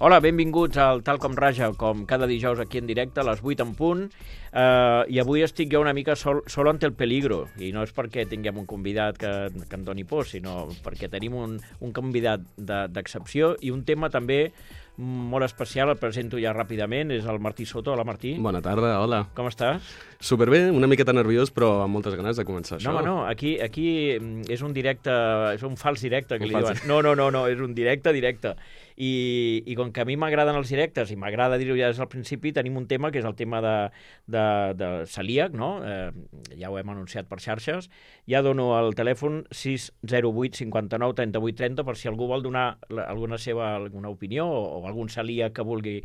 Hola, benvinguts al Tal com Raja, com cada dijous aquí en directe a les 8 en punt. I avui estic jo una mica solo ante el peligro, i no és perquè tinguem un convidat que em doni por, sinó perquè tenim un convidat d'excepció i un tema també molt especial, el presento ja ràpidament, és el Martí Soto. Hola, Martí. Bona tarda, hola. Com estàs? Superbé, una miqueta nerviós, però amb moltes ganes de començar això. No, aquí és un directe, és un fals directe, que li diuen. No, és un directe. I com que a mi m'agraden els directes, i m'agrada dir-ho ja des del principi, tenim un tema que és el tema de celíac, no? Ja ho hem anunciat per xarxes. Ja dono el telèfon 608 59 38 30 per si algú vol donar alguna opinió o algun celíac que vulgui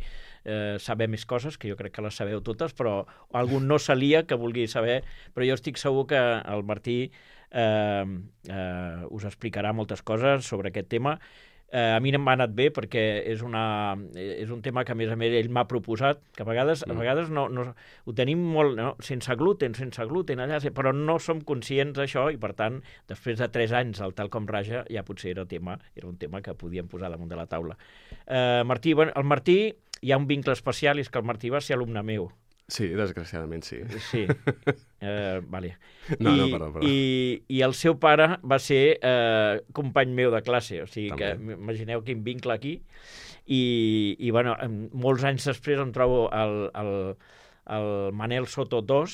saber més coses, que jo crec que les sabeu totes, però algun no celíac que vulgui saber, però jo estic segur que el Martí us explicarà moltes coses sobre aquest tema. A mi m'ha anat bé perquè és un tema que a més ell m'ha proposat, que a vegades no, ho tenim molt, no? sense gluten allà, però no som conscients d'això i per tant, després de 3 anys al Tal com Raja, ja potser era un tema que podíem posar damunt de la taula. Martí, el Martí hi ha un vincle especial, i és que el Martí va ser alumne meu. Sí, desgraciadament sí. Sí, vale. No, perdó. I el seu pare va ser company meu de classe, o sigui També. que imagineu quin vincle aquí. I bueno, molts anys després em trobo el Manel Soto II,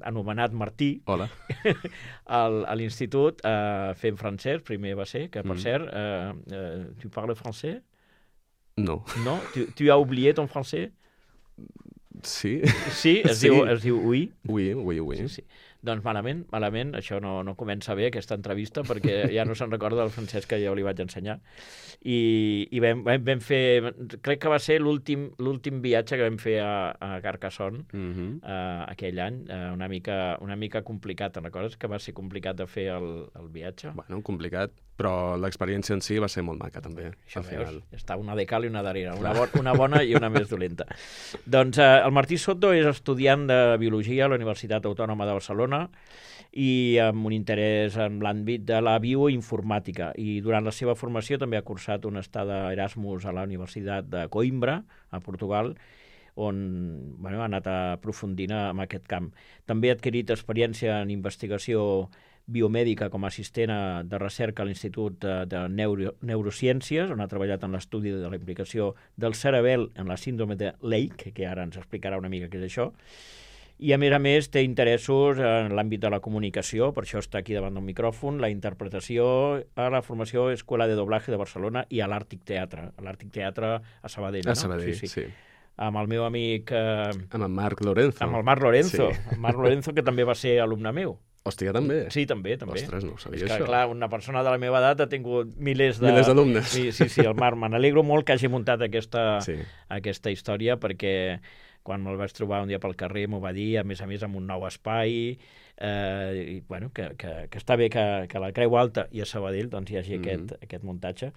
anomenat Martí, Hola. a l'institut fent francès, primer va ser, que per cert, tu parles francès? No. No? Tu as oublié ton français? Sí? Sí, es diu oui. Oui. Sí. Doncs malament, això no comença bé, aquesta entrevista, perquè ja no se'n recorda del francès que jo li vaig ensenyar. I vam fer, crec que va ser l'últim viatge que vam fer a Carcassonne aquell any, una mica complicat, te'n recordes que va ser complicat de fer el viatge? Bueno, complicat, però l'experiència en si va ser molt maca, també. Això veus, està una de cal i una d'arrere, una bona i una més dolenta. Doncs el Martí Soto és estudiant de Biologia a la Universitat Autònoma de Barcelona i amb un interès en l'àmbit de la bioinformàtica. I durant la seva formació també ha cursat una estada Erasmus a la Universitat de Coimbra, a Portugal, on ha anat aprofundint en aquest camp. També ha adquirit experiència en investigació biomèdica com a assistent de recerca a l'Institut de Neurociències, on ha treballat en l'estudi de la implicació del cerebel en la síndrome de Lake, que ara ens explicarà una mica què és això. I, a més, té interessos en l'àmbit de la comunicació, per això està aquí davant del micròfon, la interpretació, a la formació Escuela de Doblaje de Barcelona i a l'Àrtic Teatre. A l'Àrtic Teatre a Sabadell, no? A Sabadell, sí. Amb el meu amic... Amb el Marc Lorenzo. Amb el Marc Lorenzo. Sí. El Marc Lorenzo, que també va ser alumne meu. Hòstia, també? Sí, també. Ostres, no ho sabia, és que, això. clar, una persona de la meva edat ha tingut milers d'alumnes. Sí, el Marc. Me n'alegro molt que hagi muntat aquesta història, perquè quan me'l vaig trobar un dia pel carrer m'ho va dir, a més amb un nou espai, i, bueno, que està bé que a la Creu Alta i a Sabadell doncs, hi hagi aquest muntatge.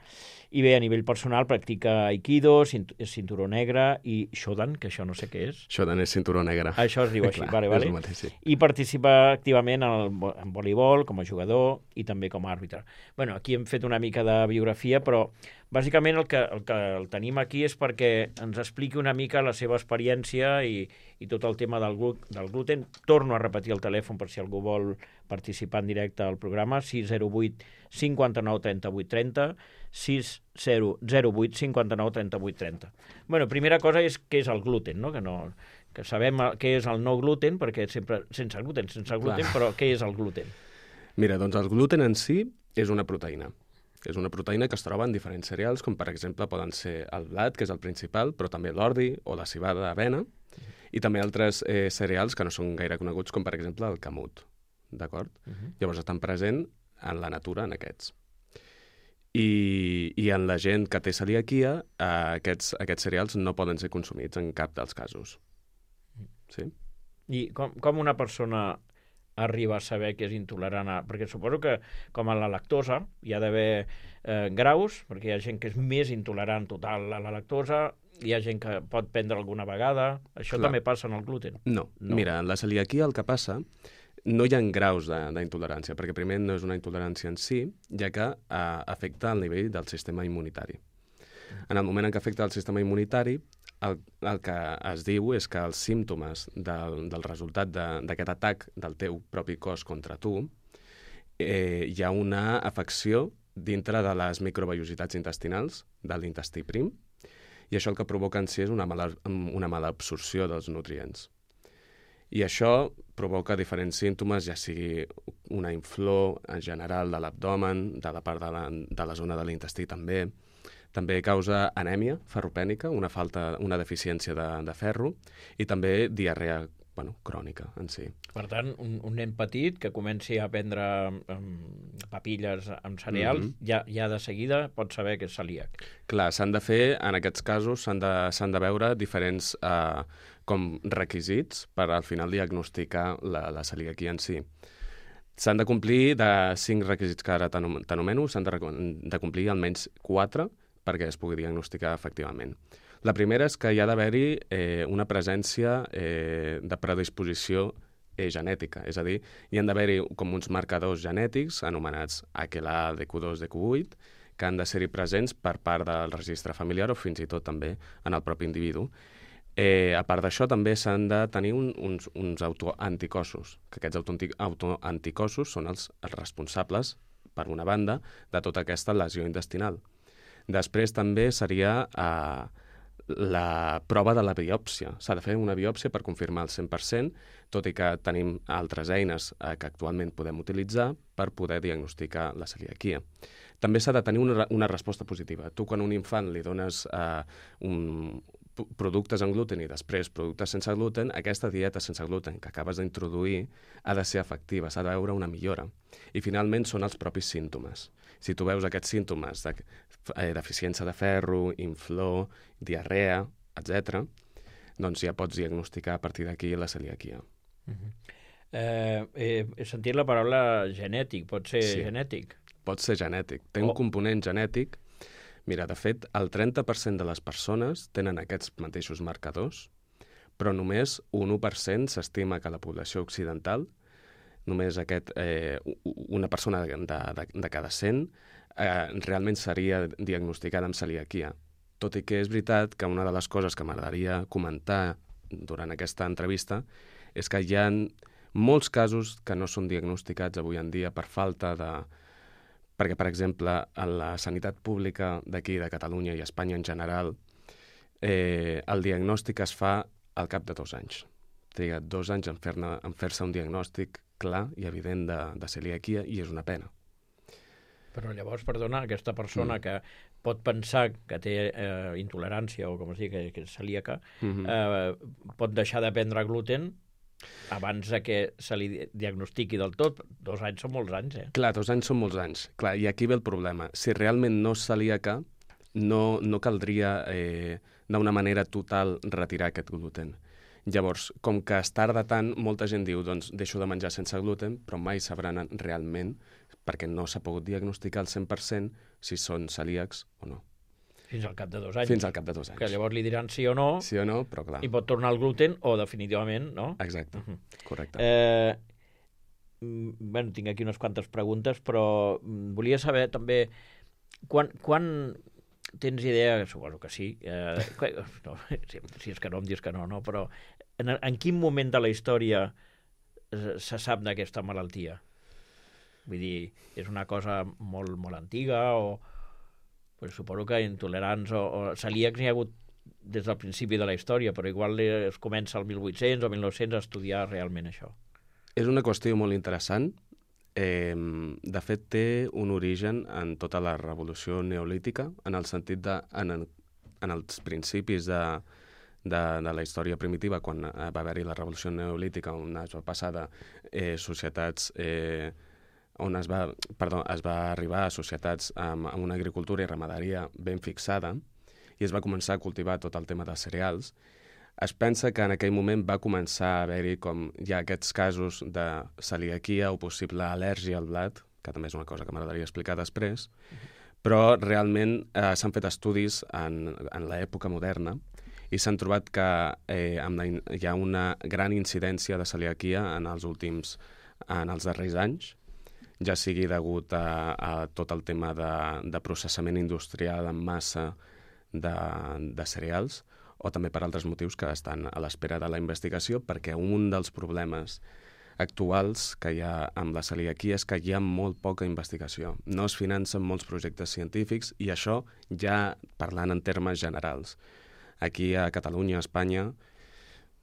I bé, a nivell personal practica Aikido, és cinturó negre, i Shodan, que això no sé què és. Shodan és cinturó negre. Això es diu així, Clar, vale. Mateix, sí. I participa activament en voleibol, com a jugador i també com a àrbitre. Bueno, aquí hem fet una mica de biografia, però bàsicament el que el tenim aquí és perquè ens expliqui una mica la seva experiència i tot el tema del gluten. Torno a repetir el telèfon per si algú vol participar en directe al programa, 608 59 38 30, 608 59 38 30. Bueno, primera cosa és què és el gluten, no? Que sabem què és el no gluten, perquè sempre sense gluten, però què és el gluten? Mira, doncs el gluten en si és una proteïna. És una proteïna que es troba en diferents cereals, com per exemple poden ser el blat, que és el principal, però també l'ordi o la civada d'avena, i també altres cereals que no són gaire coneguts, com per exemple el camut. D'acord? Llavors estan presents en la natura en aquests. I en la gent que té celiaquia, aquests cereals no poden ser consumits en cap dels casos. Sí? I com una persona arriba a saber que és intolerant a... Perquè suposo que, com a la lactosa, hi ha d'haver graus, perquè hi ha gent que és més intolerant total a la lactosa, hi ha gent que pot prendre alguna vegada... Això també passa en el gluten? No. Mira, en la celiaquia el que passa no hi ha graus d'intolerància, perquè primer no és una intolerància en si, ja que afecta el nivell del sistema immunitari. En el moment en què afecta el sistema immunitari, el que es diu és que els símptomes del resultat d'aquest atac del teu propi cos contra tu, hi ha una afecció dintre de les microvellositats intestinals de l'intestí prim, i això el que provoca en si és una mala absorció dels nutrients. I això provoca diferents símptomes, ja sigui una inflor en general de l'abdomen, de la part de la zona de l'intestí també. També causa anèmia ferropènica, una deficiència de ferro, i també diarrea crònica en si. Per tant, un nen petit que comenci a prendre papilles amb cereals, ja de seguida pot saber que és celíac. Clar, s'han de fer, en aquests casos, s'han de veure diferents com requisits per al final diagnosticar la celiaquia en si. S'han de complir de 5 requisits que ara t'anomeno, s'han de complir almenys 4 perquè es pugui diagnosticar efectivament. La primera és que hi ha d'haver-hi una presència de predisposició genètica, és a dir, hi han d'haver-hi com uns marcadors genètics anomenats HLA, DQ2, DQ8, que han de ser-hi presents per part del registre familiar o fins i tot també en el propi individu. A part d'això, també s'han de tenir uns autoanticossos, que aquests autoanticossos són els responsables, per una banda, de tota aquesta lesió intestinal. Després també seria la prova de la biòpsia. S'ha de fer una biòpsia per confirmar el 100%, tot i que tenim altres eines que actualment podem utilitzar per poder diagnosticar la celiaquia. També s'ha de tenir una resposta positiva. Tu, quan a un infant li dones productes amb gluten i després productes sense gluten, aquesta dieta sense gluten que acabes d'introduir ha de ser efectiva, s'ha de veure una millora. I finalment són els propis símptomes. Si tu veus aquests símptomes de deficiència de ferro, inflor, diarrea, etc., doncs ja pots diagnosticar a partir d'aquí la celiaquia. He sentit la paraula genètic. Pot ser genètic? Pot ser genètic. Té un component genètic. Mira, de fet, el 30% de les persones tenen aquests mateixos marcadors, però només un 1% s'estima que la població occidental, només una persona de cada 100, realment seria diagnosticada amb celiaquia. Tot i que és veritat que una de les coses que m'agradaria comentar durant aquesta entrevista és que hi ha molts casos que no són diagnosticats avui en dia per falta de... Perquè, per exemple, en la sanitat pública d'aquí, de Catalunya i Espanya en general, el diagnòstic es fa al cap de 2 anys. Triga 2 anys en fer-se un diagnòstic clar i evident de celiaquia, i és una pena. Però llavors, perdona, aquesta persona que pot pensar que té intolerància o com es diu, que és celíaca, pot deixar de prendre gluten abans que se li diagnostiqui del tot. 2 anys són molts anys, Clar, 2 anys són molts anys. Clar, i aquí ve el problema. Si realment no és celíaca, no caldria d'una manera total retirar aquest gluten. Llavors, com que es tarda tant, molta gent diu, doncs deixo de menjar sense gluten, però mai sabran realment, perquè no s'ha pogut diagnosticar al 100% si són celíacs o no. Fins al cap de 2 anys. Fins al cap de 2 anys. Que llavors li diran sí o no. Sí o no, però clar. I pot tornar al gluten o definitivament no. Exacte, correcte. Tinc aquí unes quantes preguntes, però volia saber també quan tens idea, suposo que sí, no, si és que no em dius que no, però en quin moment de la història se sap d'aquesta malaltia? Vull dir, és una cosa molt, molt antiga o... Pues suposo que intolerants o celíacs n'hi ha hagut des del principi de la història, però igual es comença al 1800 o 1900 a estudiar realment això. És una qüestió molt interessant. De fet, té un origen en tota la revolució neolítica, en el sentit en els principis de la història primitiva, quan va haver-hi la revolució neolítica, on es va passar de societats... on es va arribar a societats amb una agricultura i ramaderia ben fixada i es va començar a cultivar tot el tema dels cereals, es pensa que en aquell moment va començar a haver-hi com ja aquests casos de celiaquia o possible al·lèrgia al blat, que també és una cosa que m'agradaria explicar després, però realment s'han fet estudis en l'època moderna i s'han trobat que hi ha una gran incidència de celiaquia en els darrers anys, ja sigui degut a tot el tema de processament industrial en massa de cereals, o també per altres motius que estan a l'espera de la investigació, perquè un dels problemes actuals que hi ha amb la celiaquia és que hi ha molt poca investigació. No es financen molts projectes científics i això ja parlant en termes generals. Aquí a Catalunya, a Espanya,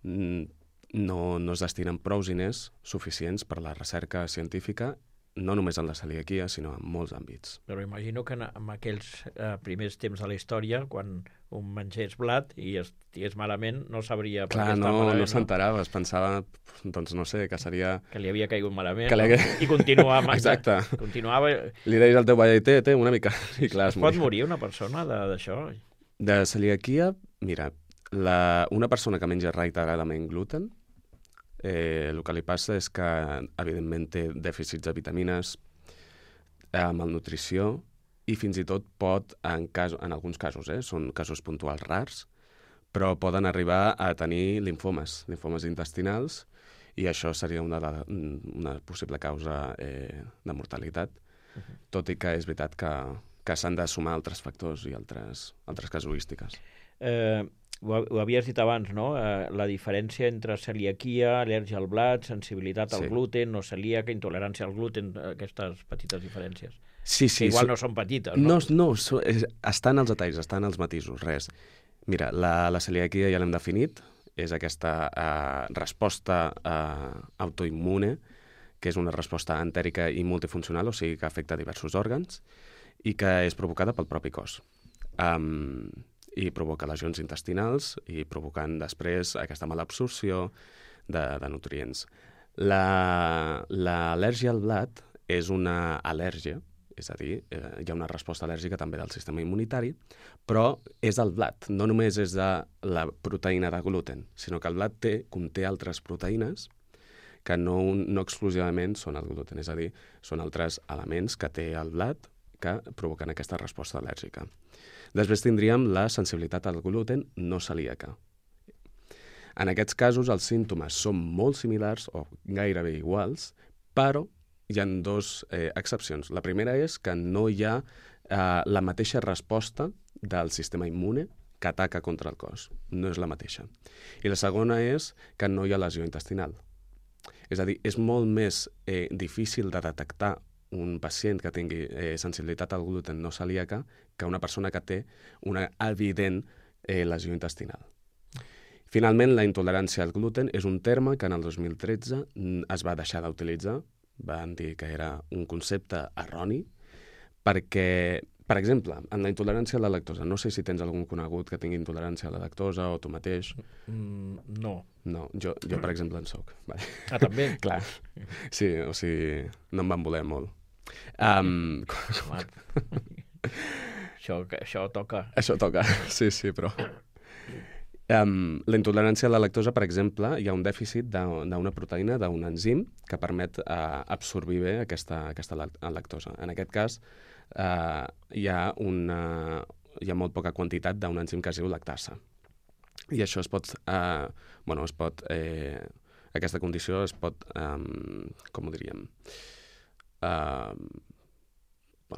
no es destinen prou diners suficients per la recerca científica, no només en la celiaquia, sinó en molts àmbits. Però imagino que en aquells primers temps de la història, quan un mengés blat i estigués malament, no sabria per què estava malament. No s'enterava, es pensava, doncs no sé, que seria... Que li havia caigut malament, I continuava. Exacte. Continuava... Li deies al teu veí, té una mica... I clar, es pot morir una persona d'això? De celiaquia, mira, una persona que menja reiteradament gluten, el que li passa és que, evidentment, té dèficits de vitamines, malnutrició, i fins i tot pot, en alguns casos, són casos puntuals rars, però poden arribar a tenir linfomes intestinals, i això seria una possible causa de mortalitat, tot i que és veritat que s'han de sumar altres factors i altres casuístiques. Ho havies dit abans, no? La diferència entre celiaquia, al·lèrgia al blat, sensibilitat al gluten, no celíaca, intolerància al gluten, aquestes petites diferències. Sí. Que igual no són petites, no? No, estan els detalls, estan els matisos, res. Mira, la celiaquia ja l'hem definit, és aquesta resposta autoimmune, que és una resposta entèrica i multifuncional, o sigui que afecta diversos òrgans, i que és provocada pel propi cos. I provoca lesions intestinals i provocant després aquesta mala absorció de nutrients. L'al·lèrgia al blat és una al·lèrgia, és a dir, hi ha una resposta al·lèrgica també del sistema immunitari, però és el blat, no només és de la proteïna de gluten, sinó que el blat conté altres proteïnes que no exclusivament són el gluten, és a dir, són altres elements que té el blat que provoquen aquesta resposta al·lèrgica. Després tindríem la sensibilitat al gluten no celíaca. En aquests casos els símptomes són molt similars o gairebé iguals, però hi ha dues excepcions. La primera és que no hi ha la mateixa resposta del sistema immune que ataca contra el cos. No és la mateixa. I la segona és que no hi ha lesió intestinal. És a dir, és molt més difícil de detectar un pacient que tingui sensibilitat al gluten no celíaca que una persona que té una evident lesió intestinal. Finalment, la intolerància al gluten és un terme que en el 2013 es va deixar d'utilitzar, van dir que era un concepte erroni, perquè, per exemple, en la intolerància a la lactosa, no sé si tens algun conegut que tingui intolerància a la lactosa o tu mateix. No. No, jo per exemple, en soc. Vale. Ah, també? Clar. Sí, o sigui, no em van voler molt. Això toca. Això toca, sí, però... la intolerància a la lactosa, per exemple, hi ha un dèficit d'una proteïna, d'un enzim, que permet absorbir bé aquesta lactosa. En aquest cas, hi ha molt poca quantitat d'un enzim que es diu lactasa. I això aquesta condició es pot, com ho diríem,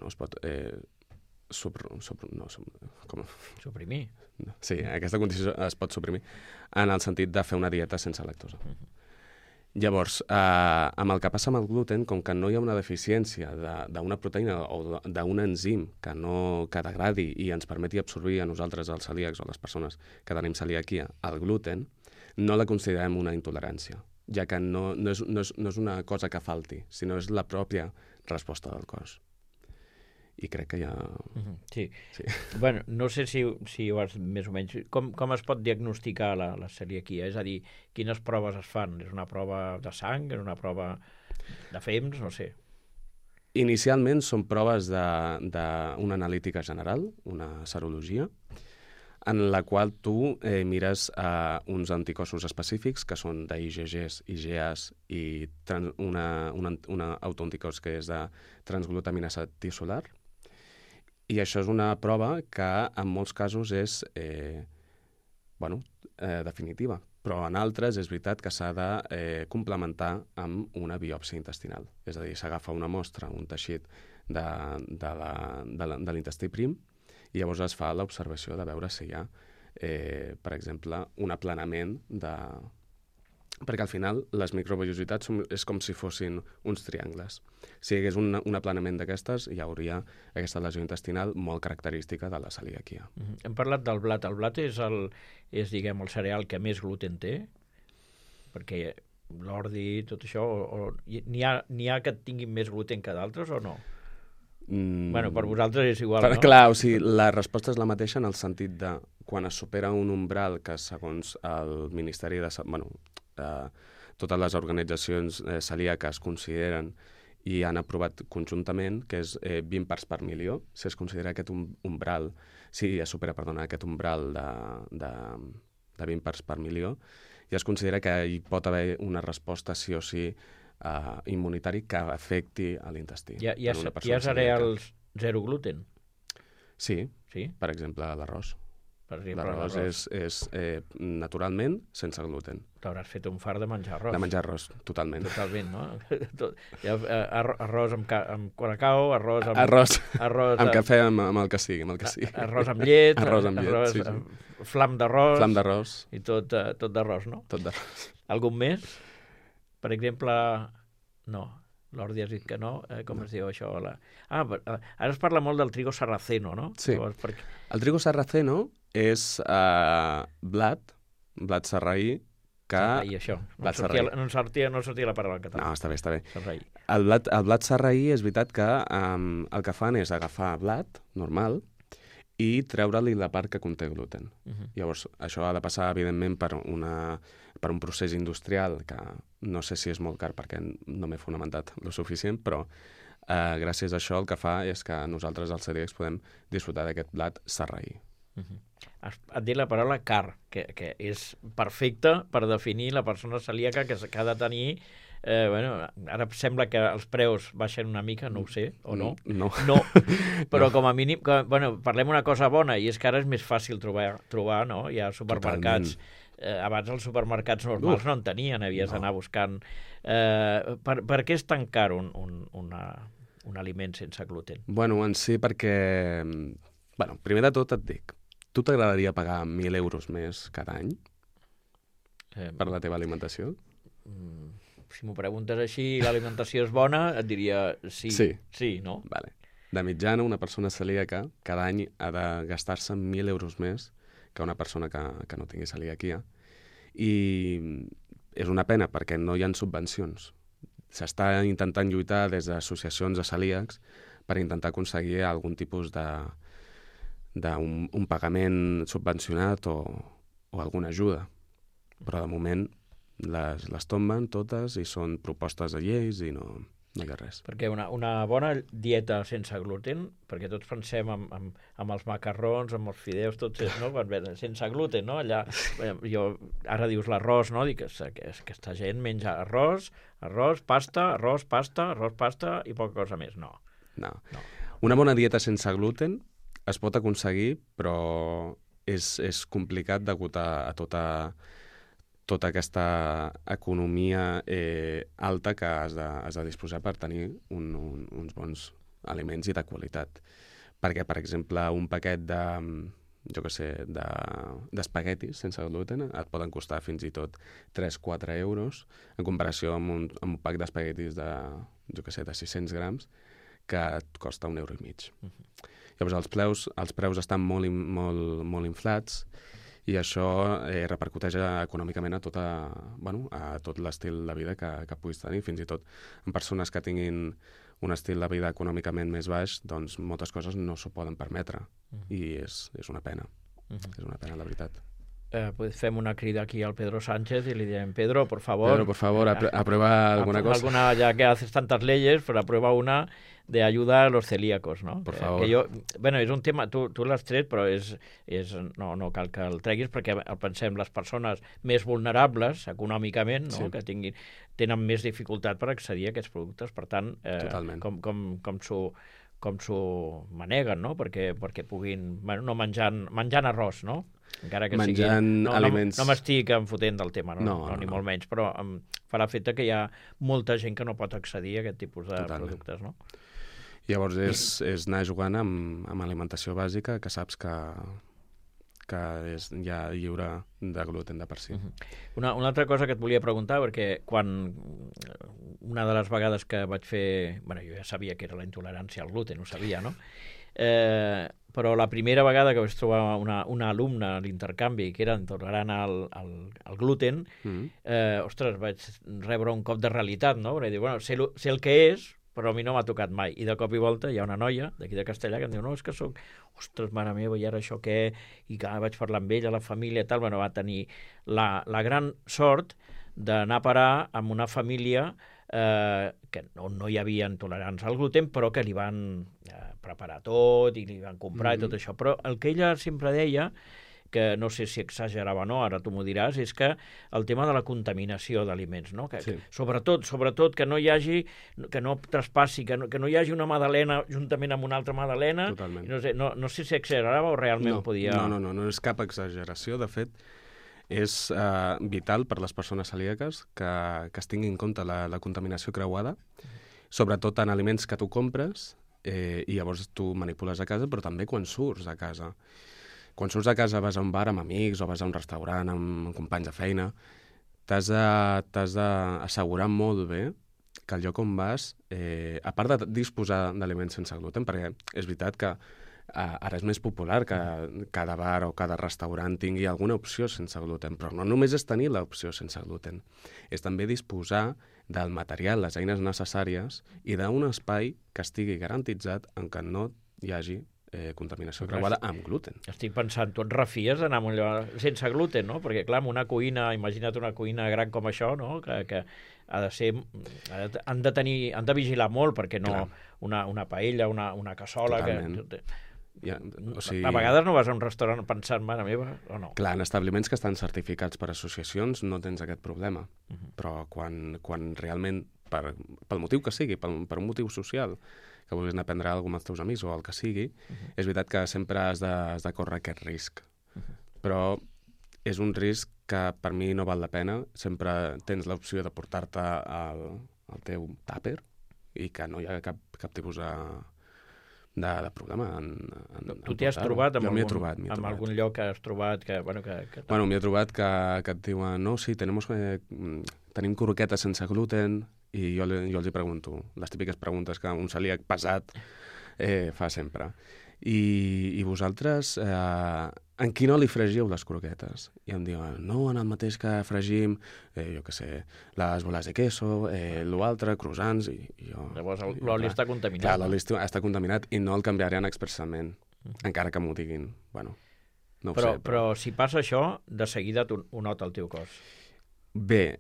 es pot suprimir. Sí, aquesta condició es pot suprimir en el sentit de fer una dieta sense lactosa. Llavors, amb el que passa amb el gluten, com que no hi ha una deficiència d'una proteïna o d'un enzim que degradi i ens permeti absorbir a nosaltres, els celíacs o les persones que tenim celiaquia, el gluten, no la considerem una intolerància, ja que no és una cosa que falti, sinó és la pròpia resposta del cos. I crec que ja... Sí. Bueno, no sé si ho has més o menys... Com es pot diagnosticar la celiaquia? És a dir, quines proves es fan? És una prova de sang? És una prova de fems? No sé. Inicialment són proves d'una analítica general, una serologia, en la qual tu mires uns anticossos específics, que són d'IgGs, IgAs i una autoanticòs que és de transglutaminasa tissular. I això és una prova que en molts casos és definitiva, però en altres és veritat que s'ha de complementar amb una biòpsia intestinal. És a dir, s'agafa una mostra, un teixit de l'intestí prim, i llavors es fa l'observació de veure si hi ha, per exemple, un aplanament de... Perquè al final les microvellositats és com si fossin uns triangles. Si hi hagués un aplanament d'aquestes, hi hauria aquesta lesió intestinal molt característica de la celiaquia. Hem parlat del blat. El blat és, diguem, el cereal que més gluten té? Perquè l'ordi, tot això, n'hi ha que tinguin més gluten que d'altres o no? Bueno, per vosaltres és igual, no? Clar, o sigui, la resposta és la mateixa en el sentit de quan es supera un umbral que segons el Ministeri de... totes les organitzacions celíaques consideren i han aprovat conjuntament, que és 20 parts per milió. Si es considera aquest umbral, si es supera, aquest umbral de 20 parts per milió, i es considera que hi pot haver una resposta sí o sí immunitari que afecti a l'intestí. Hi ha cereals zero gluten? Sí, per exemple, l'arròs. L'arròs és naturalment sense gluten. T'hauràs fet un fart de menjar arròs. De menjar arròs, totalment. Totalment, no? Arròs amb colacao, arròs amb cafè, amb el que sigui. Arròs amb llet, arròs amb llet, sí. Flam d'arròs. Flam d'arròs. I tot d'arròs, no? Tot d'arròs. Algun més? Per exemple, no. L'Ordi has dit que no. Com es diu això? Ara es parla molt del trigo sarraceno, no? Sí. El trigo sarraceno és blat sarraí que... Sarraí, això. No sortia la paraula en català. No, està bé. Sarraí. El blat sarraí és veritat que el que fan és agafar blat normal i treure-li la part que conté gluten. Llavors, això ha de passar, evidentment, per un procés industrial que no sé si és molt car perquè no m'he fonamentat lo suficient, però gràcies a això el que fa és que nosaltres, els celíacs, podem disfrutar d'aquest blat sarraí. Et dit la paraula car, que és perfecta per definir la persona celíaca que ha de tenir... ara sembla que els preus baixen una mica, no ho sé, o no? No. Però com a mínim, parlem una cosa bona, i és que ara és més fàcil trobar, no? Hi ha supermercats. Abans els supermercats normals no en tenien, havies d'anar buscant. Per què és tan car un aliment sense gluten? Bueno, en si perquè... primer de tot et dic, tu t'agradaria pagar 1.000 euros més cada any per la teva alimentació? Si m'ho preguntes així i l'alimentació és bona, et diria sí. Sí, no? Vale. De mitjana, una persona celíaca cada any ha de gastar-se 1.000 euros més que una persona que no tingui celiaquia. I és una pena perquè no hi ha subvencions. S'està intentant lluitar des d'associacions de celíacs per intentar aconseguir algun tipus d'un pagament subvencionat o alguna ajuda. Però de moment les tomben totes i són propostes de lleis i no hi ha res. Perquè una bona dieta sense gluten, perquè tots pensem amb els macarrons, amb els fideus, tots no? Sense gluten, no? Allà, ara dius l'arròs, no? Dic que aquesta gent menja arròs, pasta i poca cosa més. No. Una bona dieta sense gluten es pot aconseguir, però és complicat degut a tota aquesta economia alta que has de disposar per tenir uns bons aliments i de qualitat. Perquè, per exemple, un paquet d'espaguetis sense gluten et poden costar fins i tot 3-4 euros en comparació amb un pack d'espaguetis de 600 grams que et costa 1,5 euros. Llavors, els preus estan molt inflats i això repercuteix econòmicament a tot l'estil de vida que puguis tenir. Fins i tot en persones que tinguin un estil de vida econòmicament més baix, doncs moltes coses no s'ho poden permetre. I és una pena. És una pena, la veritat. Fem una crida aquí al Pedro Sánchez y le direm, Pedro, por favor, aprueba alguna cosa. Ya que haces tantas leyes, pues aprueba una de ayuda a los celíacos, ¿no? Por favor. És un tema, tu l'has tret, però no cal que el treguis, perquè pensem les persones més vulnerables econòmicament, no? Sí. Que tenen més dificultat per accedir a aquests productes. Per tant, com s'ho maneguen, no? Perquè puguin, no menjant arròs, no? Encara que menjant aliments... No m'estic enfotent del tema, ni molt menys, però em fa l'efecte que hi ha molta gent que no pot accedir a aquest tipus de productes, no? Llavors és anar jugant amb alimentació bàsica, que saps que és ja lliure de gluten de per si. Una altra cosa que et volia preguntar, perquè quan una de les vegades que vaig fer... Bueno, jo ja sabia que era la intolerància al gluten, ho sabia, no? Però la primera vegada que vaig trobar una alumna a l'intercanvi que era intolerant al gluten, ostres, vaig rebre un cop de realitat, no? Perquè dic, bueno, sé el que és, però a mi no m'ha tocat mai. I de cop i volta hi ha una noia d'aquí de Castellà que em diu, no, és que soc... Ostres, mare meva, i ara això què? I que vaig parlar amb ella, la família i tal. Bueno, va tenir la gran sort d'anar a parar amb una família que no hi havia intolerants al gluten, però que li van preparar tot i li van comprar i tot això. Però el que ella sempre deia, que no sé si exagerava o no, ara tu m'ho diràs, és que el tema de la contaminació d'aliments, no? Que, sobretot que no hi hagi, que no traspassi, que no hi hagi una magdalena juntament amb una altra magdalena. Totalment. No sé si exagerava o realment podia... No és cap exageració. De fet, és vital per les persones celíaques que es tingui en compte la contaminació creuada, sobretot en aliments que tu compres i llavors tu manipules a casa, però també quan surts a casa. Quan surts a casa, vas a un bar amb amics o vas a un restaurant amb companys de feina, t'has d'assegurar molt bé que el lloc on vas, a part de disposar d'aliments sense gluten, perquè és veritat que ara és més popular que cada bar o cada restaurant tingui alguna opció sense gluten, però no només és tenir l'opció sense gluten, és també disposar del material, les eines necessàries i d'un espai que estigui garantitzat en què no hi hagi contaminació creuada amb gluten. Estic pensant, tu et refies d'anar a un lloc sense gluten, no? Perquè, clar, una cuina, imagina't una cuina gran com això, no? Que ha de ser... Han de vigilar molt perquè no... Una paella, una cassola... Totalment. A vegades no vas a un restaurant pensant, mare meva, o no? Clar, en establiments que estan certificats per associacions no tens aquest problema, però quan realment, pel motiu que sigui, per un motiu social, que vulguis anar a prendre alguna cosa amb els teus amics o el que sigui, és veritat que sempre has de córrer aquest risc. Però és un risc que per mi no val la pena. Sempre tens l'opció de portar-te el teu tàper i que no hi ha cap tipus de problema. Tu t'hi has trobat amb algun lloc que has trobat que... Bueno, m'hi he trobat que et diuen no, sí, tenim croquetes sense gluten, i jo els hi pregunto, les típiques preguntes que un celíac pesat fa sempre. I vosaltres, en quin oli fregiu les croquetes? I em diuen, no, en el mateix que fregim, jo què sé, les boles de queso, l'altre, croissants, i jo... Llavors l'oli està contaminat. Clar, l'oli està contaminat i no el canviaran expressament, encara que m'ho diguin. Bueno, no ho sé. Però si passa això, de seguida ho nota el teu cos. Bé,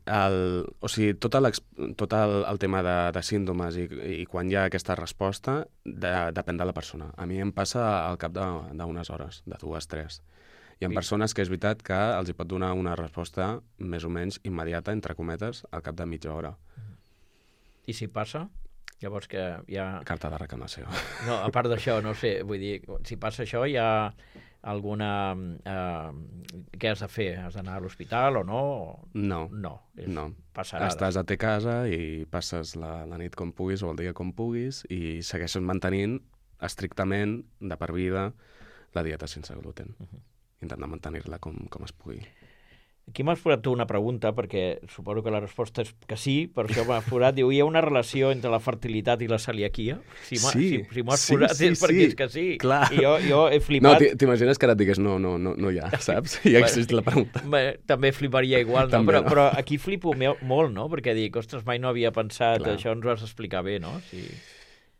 tot el tema de símptomes i quan hi ha aquesta resposta depèn de la persona. A mi em passa al cap d'unes hores, de 2 a 3. Hi ha persones que és veritat que els hi pot donar una resposta més o menys immediata, entre cometes, al cap de mitja hora. I si passa? Llavors que hi ha... Carta de reclamació. No, a part d'això, no sé, vull dir, si passa això hi ha alguna... què has de fer? Has d'anar a l'hospital o no? No. Passarà. Estàs a te casa i passes la nit com puguis o el dia com puguis i segueixes mantenint estrictament de per vida la dieta sense gluten. Intentar mantenir-la com es pugui. Aquí m'has forat tu una pregunta, perquè suposo que la resposta és que sí, per això m'has forat. Diu, hi ha una relació entre la fertilitat i la celiaquia? Si m'ho has forat és perquè és que sí. Clar. I jo he flipat. No, t'imagines que ara et digués no hi ha, saps? Ja existeix la pregunta. També fliparia igual, no? Però aquí flipo molt, no? Perquè dic, ostres, mai no havia pensat, això ens ho has d'explicar bé, no? Sí.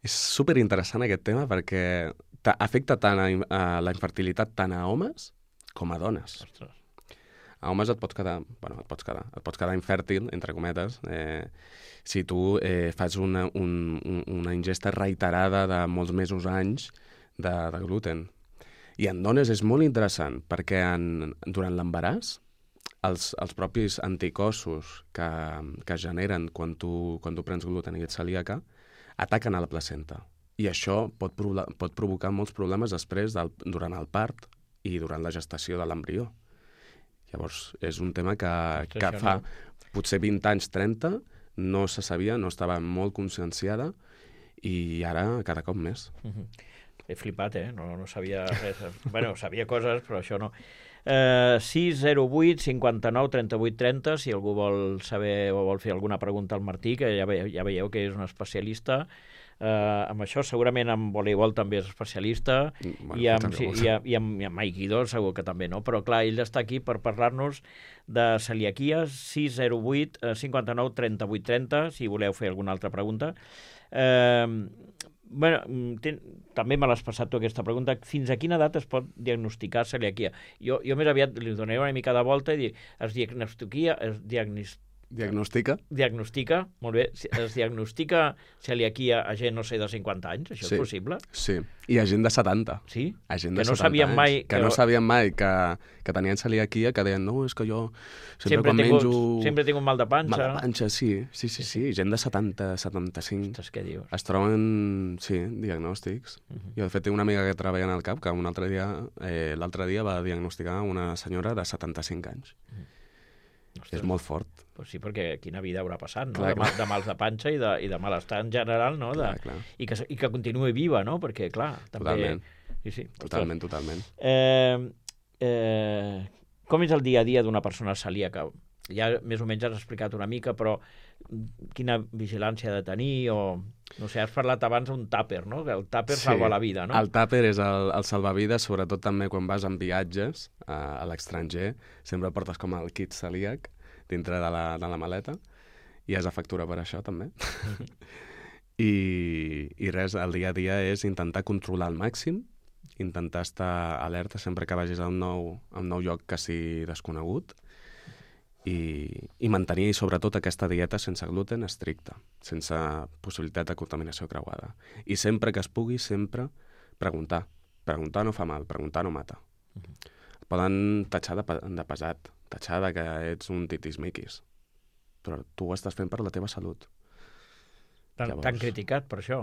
És superinteressant aquest tema perquè afecta tant a la infertilitat tant a homes com a dones. Ostres. A homes et pots quedar infèrtil, entre cometes, si tu fas una ingesta reiterada de molts mesos, anys de gluten. I en dones és molt interessant, perquè durant l'embaràs, els propis anticossos que es generen quan tu prens gluten i ets celíaca, ataquen a la placenta. I això pot provocar molts problemes després, durant el part i durant la gestació de l'embrió. Llavors, és un tema que fa potser 20 anys, 30, no se sabia, no estava molt conscienciada i ara cada cop més. He flipat, no sabia res. Bueno, sabia coses, però això no. 608 59 38 30, si algú vol saber o vol fer alguna pregunta al Martí, que ja veieu que és un especialista. Amb això segurament en voleibol també és especialista, i amb aikido segur que també, no? Però clar, ell està aquí per parlar-nos de celiaquia. 608 59 38 30, si voleu fer alguna altra pregunta. També me l'has passat tu aquesta pregunta. Fins a quina edat es pot diagnosticar celiaquia? Jo més aviat li donaré una mica de volta i dir, diagnostica, molt bé, es diagnostica celiaquia a gent, no sé, de 50 anys? Això és possible? Sí, i a gent de 70. Sí? A gent que de no 70 sabien anys, mai... Que no sabien mai que tenien celiaquia, que deien, no, és que jo sempre quan menjo... Sempre tinc un mal de panxa. Mal de panxa, sí. Gent de 70, 75. Ostres, què dius? Es troben, sí, diagnòstics. Jo, de fet, tinc una amiga que treballa en el CAP que l'altre dia va diagnosticar una senyora de 75 anys. Ostres. És molt fort. Pues sí, perquè quina vida haurà passat, no? Clar. De mals de panxa i de malestar en general, no? Clar. I que continuï viva, no? Perquè, clar, també... Totalment. Sí. Totalment. Com és el dia a dia d'una persona celíaca? Ja més o menys has explicat una mica, però quina vigilància ha de tenir, o... No sé, has parlat abans d'un tàper, no? Que el tàper salva la vida, no? El tàper és el salvavides, sobretot també quan vas en viatges a l'estranger. Sempre portes com el kit celíac dintre de la maleta, i has de factura per això, també. I res, el dia a dia és intentar controlar al màxim, intentar estar alerta sempre que vagis a un nou lloc que sigui desconegut, i mantenir sobretot aquesta dieta sense gluten estricta, sense possibilitat de contaminació creuada. I sempre que es pugui, sempre preguntar. Preguntar no fa mal, preguntar no mata. Et poden tatxar de pesat, tatxar de que ets un titis-miquis, però tu ho estàs fent per la teva salut. T'han criticat per això?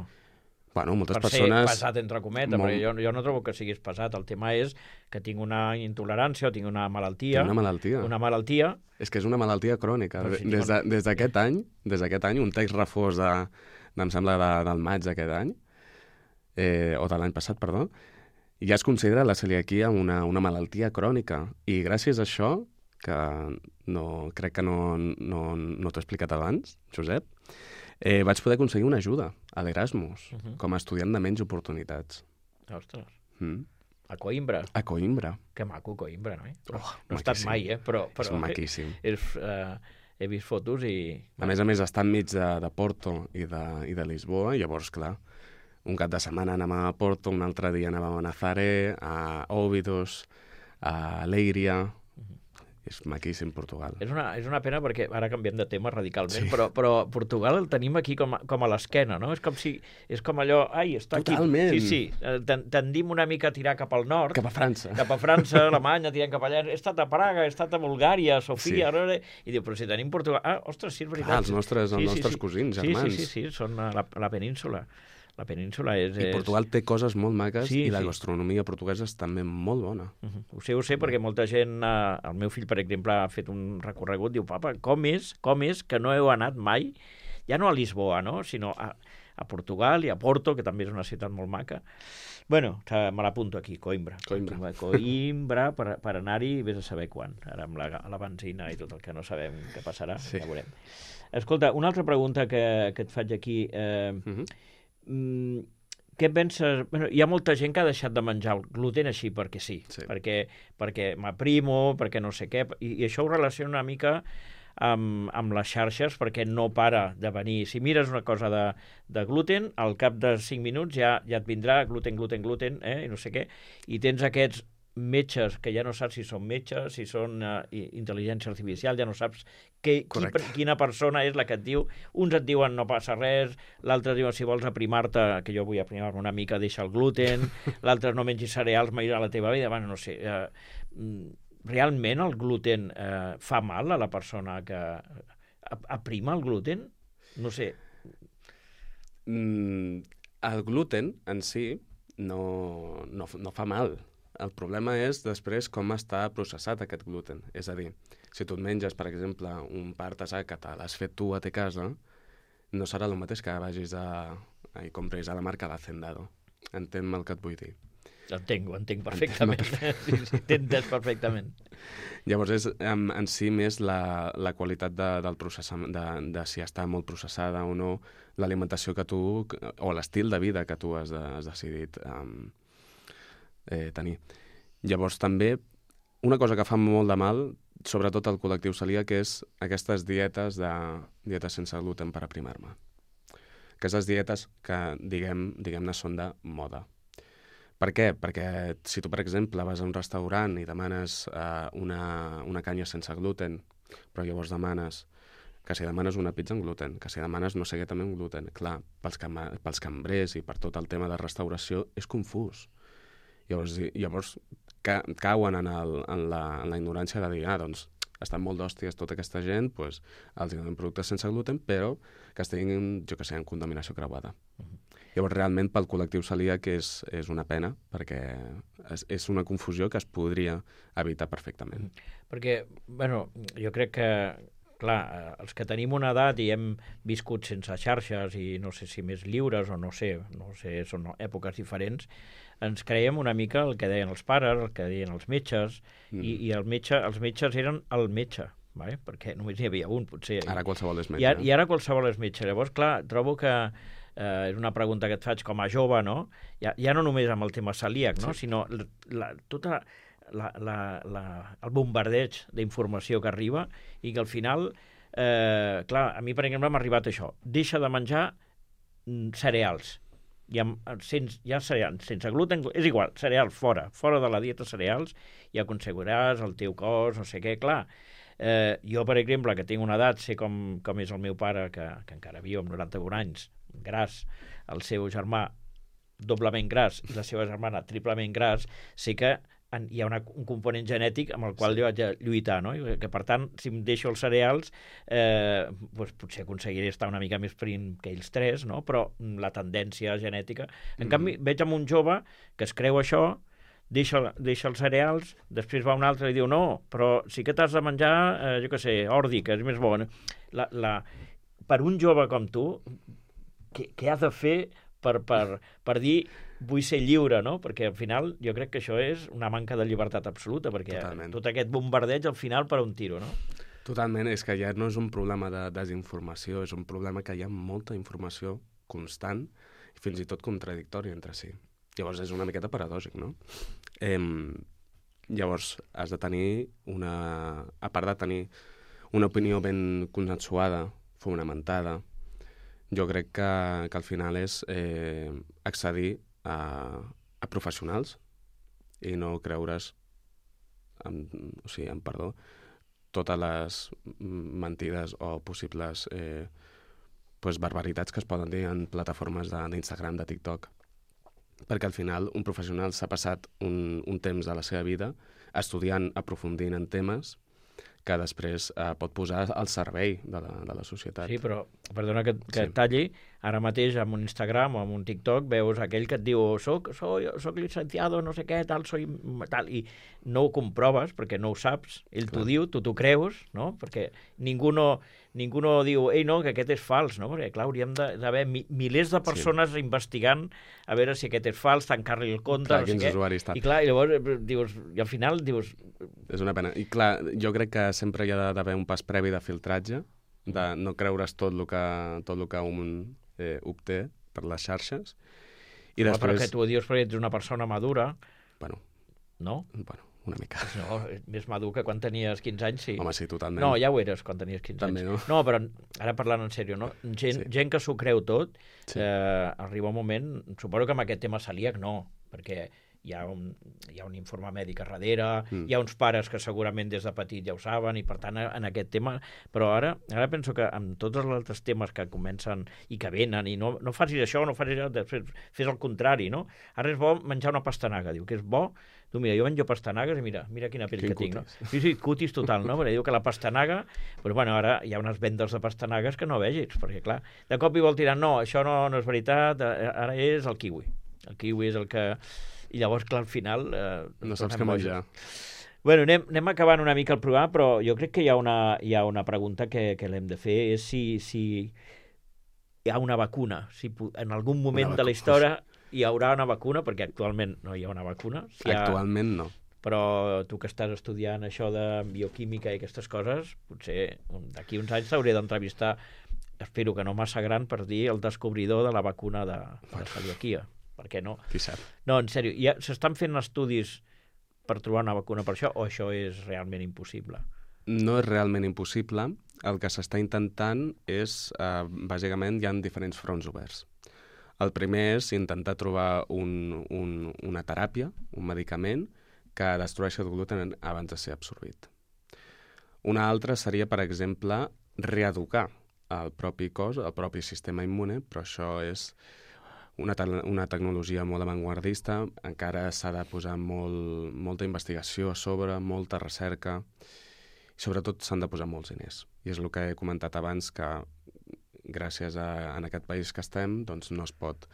Bueno, moltes per persones... ser pesat, entre cometes, perquè jo no trobo que siguis pesat. El tema és que tinc una intolerància o tinc una malaltia. Una malaltia. És que és una malaltia crònica. Des d'aquest any, un text refós em sembla del maig d'aquest any, o de l'any passat, perdó, ja es considera la celiaquia una malaltia crònica. I gràcies a això, que crec que no t'ho he explicat abans, Josep, vaig poder aconseguir una ajuda a l'Erasmus, com a estudiant de menys oportunitats. Ostres. A Coimbra. A Coimbra. Que maco, Coimbra, no? No he maquíssim. estat mai, però és maquíssim. He vist fotos i... A més, està enmig de Porto i de Lisboa, i llavors, clar, un cap de setmana anàvem a Porto, un altre dia anàvem a Nazaré, a Óbidos, a Leiria... És maquíssim, Portugal. És una pena perquè ara canviem de tema radicalment, però Portugal el tenim aquí com a l'esquena, no? És com allò, està Totalment. aquí. Sí, tendim una mica a tirar cap al nord. Cap a França. Cap a França, Alemanya, tirant cap allà. He estat a Praga, he estat a Bulgària, a Sofia, i diu, però si tenim Portugal... Ostres, sí, és veritat. Els nostres cosins, germans. Sí, són a la península. La península és... I Portugal té coses molt maques, i la gastronomia portuguesa és també molt bona. Ho sé, perquè molta gent... El meu fill, per exemple, ha fet un recorregut, diu, papa, com és que no heu anat mai, ja no a Lisboa, no?, sinó a Portugal i a Porto, que també és una ciutat molt maca. Bueno, me l'apunto aquí, Coimbra per anar-hi, vés a saber quan, ara amb la benzina i tot el que no sabem què passarà, ja veurem. Escolta, una altra pregunta que et faig aquí... Què penses? Hi ha molta gent que ha deixat de menjar el gluten així perquè sí. Perquè m'aprimo, perquè no sé què, i això ho relaciona una mica amb les xarxes, perquè no para de venir. Si mires una cosa de gluten, al cap de 5 minuts ja et vindrà gluten, i no sé què, i tens aquests metges que ja no saps si són metges, si són intel·ligència artificial, ja no saps quina persona és la que et diu. Uns et diuen no passa res, l'altre diuen si vols aprimar-te, que jo vull aprimar-me una mica, deixa el gluten, l'altre no mengis cereals mai a la teva vida. Bueno, no sé, realment el gluten fa mal a la persona que aprima el gluten? No sé. El gluten en si no fa mal. El problema és després com està processat aquest gluten. És a dir, si tu et menges, per exemple, un pa artesà que te l'has fet tu a te casa, no serà el mateix que vagis a i compres a la marca d'Hacendado. Entenc el que et vull dir. Ho entenc perfectament. Sí, t'entens perfectament. Llavors és en si més la qualitat del processament, de si està molt processada o no, l'alimentació que tu, o l'estil de vida que tu has decidit tenir. Llavors també, una cosa que fa molt de mal, sobretot al col·lectiu celíac, és aquestes dietes sense gluten per aprimar-me. Aquestes dietes que, diguem-ne, són de moda. Per què? Perquè si tu, per exemple, vas a un restaurant i demanes una canya sense gluten, però llavors demanes que si demanes una pizza amb gluten, que si demanes no sé què també amb gluten, clar, pels cambrers i per tot el tema de restauració és confús. Llavors cauen en la ignorància de dir, doncs, estan molt d'hòsties tota aquesta gent, doncs els donen productes sense gluten, però que estiguin, jo que sé, en contaminació creuada. Llavors, realment, pel col·lectiu celíac és una pena, perquè és una confusió que es podria evitar perfectament. Perquè, jo crec que, clar, els que tenim una edat i hem viscut sense xarxes i no sé si més lliures o no sé, són èpoques diferents, ens creiem una mica el que deien els pares, el que deien els metges, i els metges eren el metge, vale? Perquè només n'hi havia un, potser. Ara qualsevol és metge. I ara qualsevol és metge. Llavors, clar, trobo que és una pregunta que et faig com a jove, no? Ja no només amb el tema celíac, no? Sinó tota el bombardeig d'informació que arriba i que al final, clar, a mi, per exemple, m'ha arribat això. Deixa de menjar cereals. Sense gluten, és igual, cereals, fora de la dieta cereals, ja aconseguiràs el teu cos, no sé què, clar. Jo, per exemple, que tinc una edat, sé com és el meu pare, que encara viu amb 91 anys, gras, el seu germà doblement gras i la seva germana triplement gras, sé que hi ha un component genètic amb el qual jo haig de lluitar, no? I que, per tant, si em deixo els cereals, doncs potser aconseguiré estar una mica més prim que ells tres, no? Però la tendència genètica... En canvi, veig amb un jove que es creu això, deixa els cereals, després va un altre i diu no, però sí que t'has de menjar, jo què sé, ordi, que és més bo. Per un jove com tu, què has de fer per dir vull ser lliure, no? Perquè al final jo crec que això és una manca de llibertat absoluta, perquè Totalment. Tot aquest bombardeig al final per un tiro, no? Totalment, és que ja no és un problema de desinformació, és un problema que hi ha molta informació constant i fins i tot contradictòria entre si. Llavors és una miqueta paradògic, no? Llavors has de tenir a part de tenir una opinió ben consensuada, fonamentada, jo crec que al final és accedir a professionals i no creure's, amb perdó, totes les mentides o possibles barbaritats que es poden dir en plataformes d'Instagram, de TikTok. Perquè al final un professional s'ha passat un temps de la seva vida estudiant, aprofundint en temes que després pot posar al servei de la societat. Sí, però, perdona que et talli, ara mateix en un Instagram o en un TikTok veus aquell que et diu soc licenciado, no sé què, tal, i no ho comproves perquè no ho saps, ell t'ho diu, tu t'ho creus, no? Perquè ningú no diu, ei, no, que aquest és fals, no? Perquè, clar, hauríem d'haver milers de persones investigant a veure si aquest és fals, tancar-li el compte, clar, no sé què. usuaris, I clar, i llavors dius, i al final dius... És una pena. I clar, jo crec que sempre hi ha d'haver un pas previ de filtratge, de no creure's tot el que un obté per les xarxes. I després... Però que tu ho dius perquè ets una persona madura. Bueno. No? Bueno, una mica. No, més madur que quan tenies 15 anys, sí. Home, sí, totalment. No, ja ho eres quan tenies 15 també, anys. No, però ara parlant en sèrio, no? Gent que s'ho creu tot, arriba un moment, suposo que amb aquest tema celíac no, perquè hi ha un informe mèdic a darrere, hi ha uns pares que segurament des de petit ja ho saben, i per tant en aquest tema, però ara penso que amb tots els altres temes que comencen i que venen, i no facis això, no facis això, després fes el contrari, no? Ara és bo menjar una pastanaga, diu que és bo. Tu mira, jo menjo pastanagues i mira quina pell que tinc, no? Sí, cutis total, no? Perquè diu que la pastanaga... Però bueno, ara hi ha unes vendes de pastanagues que no vegis, perquè clar, de cop i vol tirar, no, això no és veritat, ara és el kiwi. El kiwi és el que... I llavors, clar, al final... no saps què menjar. Bueno, anem acabant una mica el programa, però jo crec que hi ha una pregunta que l'hem de fer, és si hi ha una vacuna. Si en algun moment de la història hi haurà una vacuna, perquè actualment no hi ha una vacuna. Actualment no. Però tu que estàs estudiant això de bioquímica i aquestes coses, potser d'aquí uns anys t'hauré d'entrevistar, espero que no massa gran, per dir el descobridor de la vacuna de celiaquia. Per què no? Qui sap? No, en sèrio, s'estan fent estudis per trobar una vacuna per això, o això és realment impossible? No és realment impossible. El que s'està intentant és, bàsicament, hi ha diferents fronts oberts. El primer és intentar trobar una teràpia, un medicament, que destrueixi el gluten abans de ser absorbit. Una altra seria, per exemple, reeducar el propi cos, el propi sistema immune, però això és una tecnologia molt avantguardista, encara s'ha de posar molta investigació a sobre, molta recerca, i sobretot s'han de posar molts diners. I és el que he comentat abans, que gràcies en aquest país que estem doncs no es pot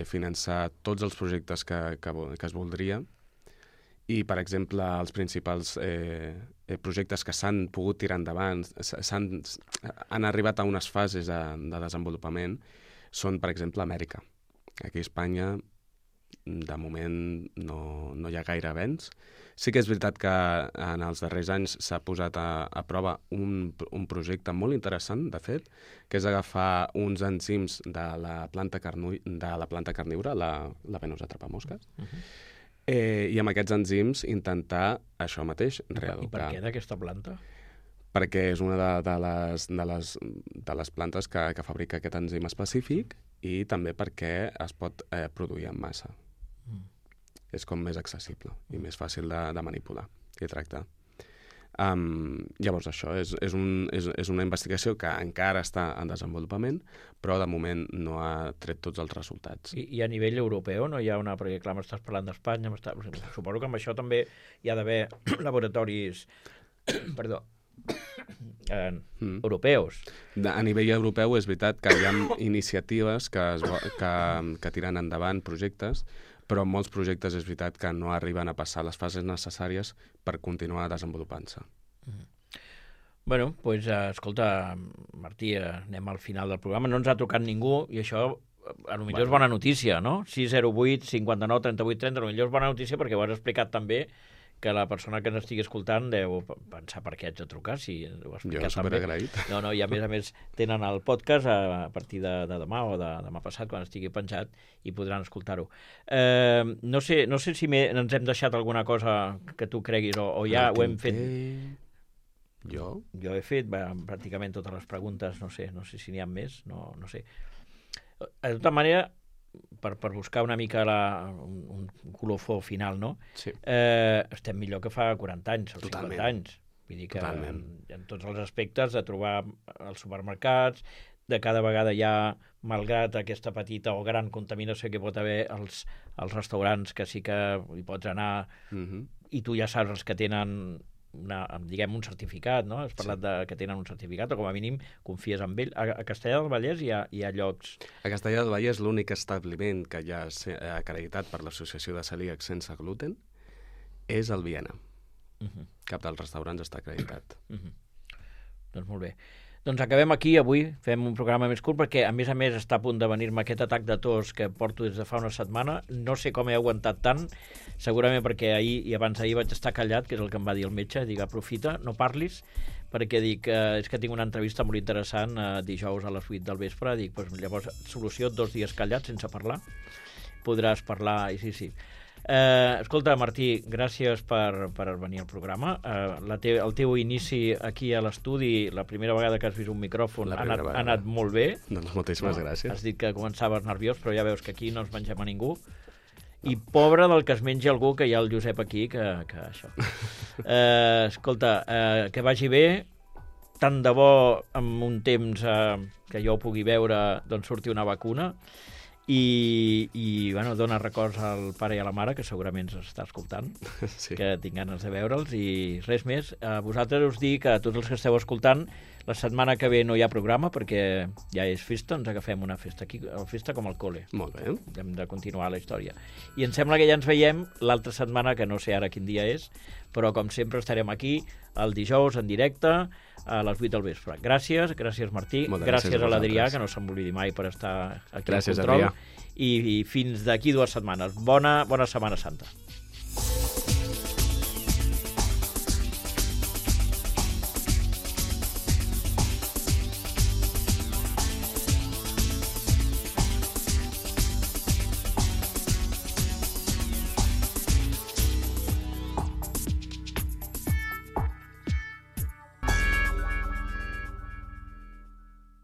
finançar tots els projectes que es voldria. I, per exemple, els principals projectes que s'han pogut tirar endavant, han arribat a unes fases de desenvolupament, són, per exemple, Amèrica. Aquí a Espanya, de moment, no hi ha gaire avenç. Sí que és veritat que en els darrers anys s'ha posat a prova un projecte molt interessant, de fet, que és agafar uns enzims de la planta carnívora, la Venus atrapamosques, i amb aquests enzims intentar això mateix, reeducar. I per què d'aquesta planta? Perquè és una de les plantes que fabrica aquest enzim específic i també perquè es pot produir en massa. És com més accessible i més fàcil de manipular i tractar. Llavors això és una investigació que encara està en desenvolupament, però de moment no ha tret tots els resultats. I a nivell europeu no hi ha una... Perquè clar, m'estàs parlant d'Espanya, suposo que amb això també hi ha d'haver laboratoris europeus. A nivell europeu és veritat que hi ha iniciatives que tiren endavant projectes, però molts projectes és veritat que no arriben a passar les fases necessàries per continuar desenvolupant-se. Bueno, doncs, escolta, Martí, anem al final del programa. No ens ha trucat ningú i això potser és bona notícia, no? 608 59 38 30, potser és bona notícia perquè ho has explicat també, que la persona que ens estigui escoltant deu pensar per què haig de trucar, si ho has explicat jo superagraït. No, i a més tenen el podcast a partir de demà o de demà passat, quan estigui penjat, i podran escoltar-ho. No sé si ens hem deixat alguna cosa que tu creguis o ja ho hem fet. Jo he fet pràcticament totes les preguntes, no sé si n'hi ha més, no sé. De tota manera, per buscar una mica un colofó final, no? Sí. Estem millor que fa 40 anys o 50 anys. Vull dir que en tots els aspectes, de trobar els supermercats, de cada vegada hi ha, malgrat aquesta petita o gran contaminació que pot haver als restaurants, que sí que hi pots anar, i tu ja saps els que tenen un certificat, no? Has parlat que tenen un certificat, o com a mínim confies en ell. A Castellar del Vallès hi ha llocs... A Castellar del Vallès l'únic establiment que ja ha acreditat per l'Associació de Celíacs Sense Gluten és el Viena. Cap dels restaurants està acreditat. Doncs molt bé. Doncs acabem aquí avui, fem un programa més curt perquè a més està a punt de venir-me aquest atac de tos que porto des de fa una setmana. No sé com he aguantat tant, segurament perquè ahir i abans d'ahir vaig estar callat, que és el que em va dir el metge, dic aprofita, no parlis, perquè dic, és que tinc una entrevista molt interessant dijous a les 8 del vespre, dic, doncs llavors solució 2 dies callat sense parlar, podràs parlar, i sí. Escolta, Martí, gràcies per venir al programa. El teu inici aquí a l'estudi, la primera vegada que has vist un micròfon, ha anat molt bé. Doncs moltíssimes gràcies. Has dit que començaves nerviós, però ja veus que aquí no ens mengem a ningú. I pobre del que es mengi algú, que hi ha el Josep aquí, que això. Escolta, que vagi bé, tant de bo en un temps que jo ho pugui veure, doncs surti una vacuna, i bueno, dona records al pare i a la mare, que segurament ens està escoltant, que tinc ganes de veure'ls, i res més. A vosaltres us dic, a tots els que esteu escoltant, la setmana que ve no hi ha programa perquè ja és festa, ens agafem una festa aquí, festa com al col·le. Molt bé. Hem de continuar la història. I em sembla que ja ens veiem l'altra setmana, que no sé ara quin dia és, però com sempre estarem aquí el dijous en directe a les 8 del vespre. Gràcies Martí, gràcies a l'Adrià, que no se'm oblidi mai per estar aquí al control, i fins d'aquí 2 setmanes. Bona Setmana Santa.